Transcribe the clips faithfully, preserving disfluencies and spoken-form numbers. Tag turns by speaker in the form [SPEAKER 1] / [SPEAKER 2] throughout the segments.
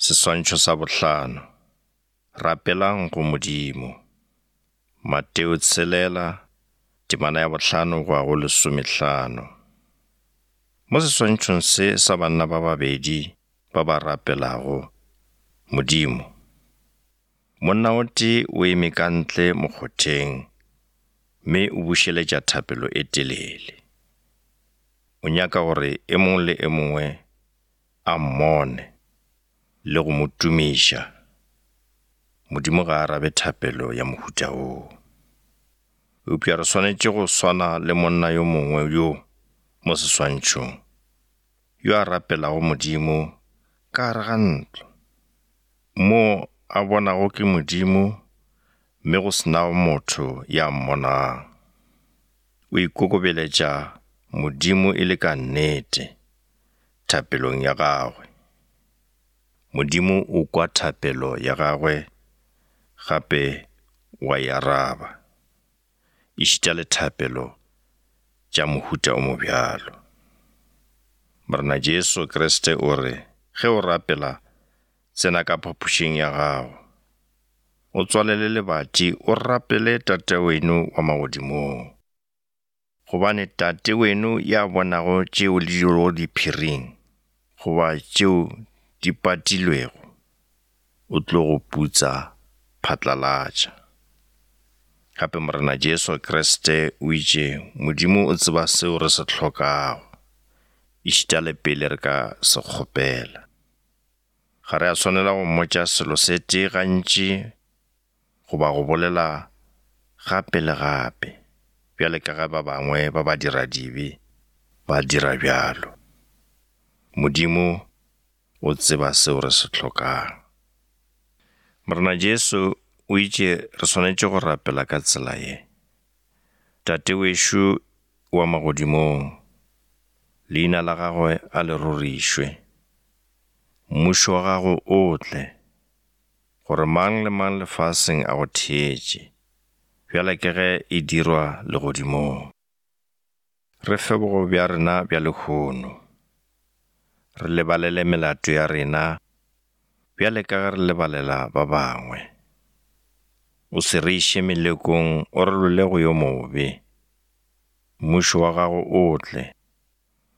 [SPEAKER 1] Seswantšho sa bohlano. Rapelang go Modimo. Mateo tshelela, temana ya bohlano go ya go lesomehlano. Mo seswantšhong se sa banna ba babedi ba ba rapelago Modimo, monna o tee o eme ka ntle mokgotheng mme o bušeletša thapelo e telele. O nyaka gore e mongwe le e mongwe a mmone le go mo tumiša. Modimo ga a arabe thapelo ya mohuta woo. Eupša re swanetše go swana le monna yo mongwe yo mo seswantšhong, yo a rapelago Modimo ka gare ga ntlo, mo a bonago ke Modimo mme go se nago motho ya mmonang. O ikokobeletša Modimo e le ka nnete thapelong ya gagwe. Modimo o kwa thapelo ya gagwe gape wa e araba, ešita le thapelo tša mohuta o mobjalo. Morena Jesu Kriste o re, ge o rapela, tsena ka phapošing ya gago, o tswalele lebati, o rapele Tate weno wa magodimong. Gobane Tate weno ya bonago tšeo le di dirago diphiring, goba tšeo di patilwego, o tlo go putsa phatlalatša. Gape Morena Jesu Kriste o itše Modimo o tseba seo re se hlokago, ešita le pele re ka se kgopela. Ga re a swanela go mmotša selo se tee gantši goba go bolela gape le gape, bjale ka ge ba bangwe ba ba dira dibe ba dira bjalo. Modimo o tseba seo re se hlokang. Morena Jesu o itše re swanetše go rapela ka tsela ye: Tate wešo wa magodimong, leina la gagwe a le rorišwe, mmušo wa gago o tle, gore mang le mang lefaseng a go theetše, bjale ke ge e dirwa legodimong. Re fe bogobe bja rena bja lehono, re lebalele melato ya rena bjale ka ge re lebalela ba bangwe. O se re iše melekong, o re lwele go yo mobe. Mmušo wa gago o tle,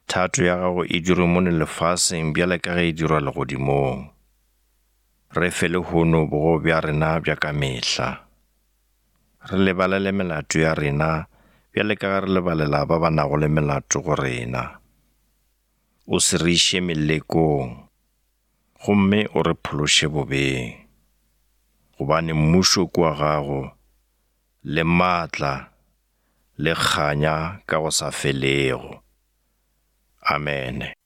[SPEAKER 1] thato ya gago e dirwe mono lefaseng bjale ka ge e dirwa legodimong. Re fe lehono bogobe bja rena bja ka mehla. Re lebalele melato ya rena bjale ka ge re lebalela ba ba nago le melato go rena. O se re iše melekong, gomme o re phološe bobeng. Gobane mmušo ke wa gago, le maatla, le kganya ka go sa felego. Amene.